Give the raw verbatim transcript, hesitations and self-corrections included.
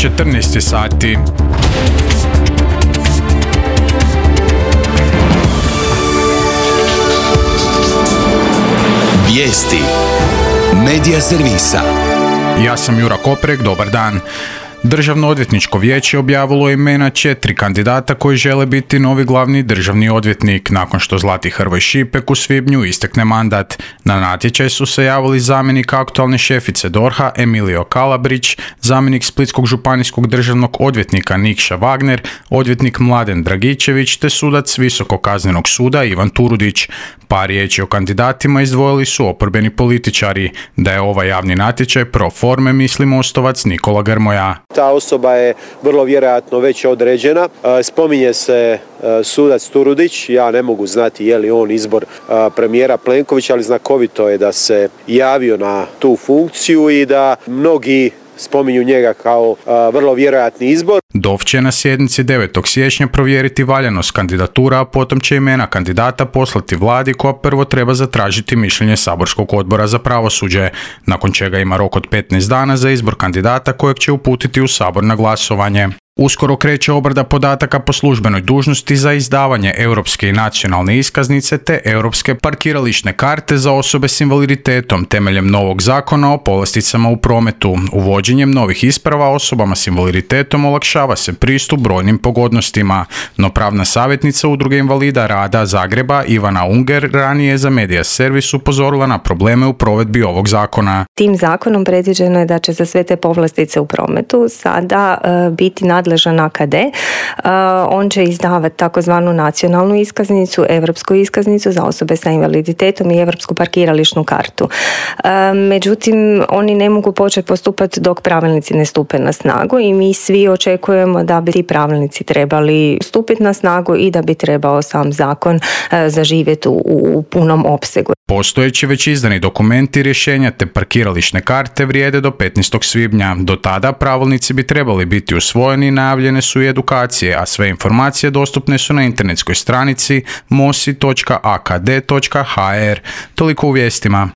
četrnaest sati. Vijesti Medija servisa. Ja sam Jura Koprek, dobar dan. Državno odvjetničko vijeće objavilo je imena četiri kandidata koji žele biti novi glavni državni odvjetnik nakon što Zlati Hrvoj Šipek u svibnju istekne mandat. Na natječaj su se javili zamjenik aktualne šefice D O R H-a Emilio Kalabrić, zamjenik splitskog županijskog državnog odvjetnika Nikša Wagner, odvjetnik Mladen Dragičević te sudac Visokog kaznenog suda Ivan Turudić. Par riječi o kandidatima izdvojili su oporbeni političari. Da je ovaj javni natječaj pro forme, misli Mostovac Nikola Grmoja. Ta osoba je vrlo vjerojatno već određena. Spominje se sudac Turudić, ja ne mogu znati je li on izbor premijera Plenkovića, ali znakovito je da se javio na tu funkciju i da mnogi spominju njega kao a, vrlo vjerojatni izbor. D O F će na sjednici devetog siječnja provjeriti valjanost kandidatura, a potom će imena kandidata poslati vladi koja prvo treba zatražiti mišljenje saborskog odbora za pravosuđe, nakon čega ima rok od petnaest dana za izbor kandidata kojeg će uputiti u sabor na glasovanje. Uskoro kreće obrada podataka po službenoj dužnosti za izdavanje europske i nacionalne iskaznice te europske parkirališne karte za osobe s invaliditetom temeljem novog zakona o povlasticama u prometu. Uvođenjem novih isprava osobama s invaliditetom olakšava se pristup brojnim pogodnostima, no pravna savjetnica Udruge invalida rada Zagreba Ivana Unger ranije je za Medija servis upozorila na probleme u provedbi ovog zakona. Tim zakonom predviđeno je da će za sve te povlastice u prometu sada uh, biti nadležan A K D. Uh, on će izdavati takozvanu nacionalnu iskaznicu, europsku iskaznicu za osobe sa invaliditetom i europsku parkirališnu kartu. Uh, međutim, oni ne mogu početi postupati dok pravilnici ne stupe na snagu i mi svi očekujemo da bi ti pravilnici trebali stupiti na snagu i da bi trebao sam zakon uh, zaživjeti u, u punom opsegu. Postojeći već izdani dokumenti, rješenja te parkirališne karte vrijede do petnaestog svibnja. Do tada pravilnici bi trebali biti usvojeni i najavljene su i edukacije, a sve informacije dostupne su na internetskoj stranici mosi točka a k d točka h r. Toliko u vijestima.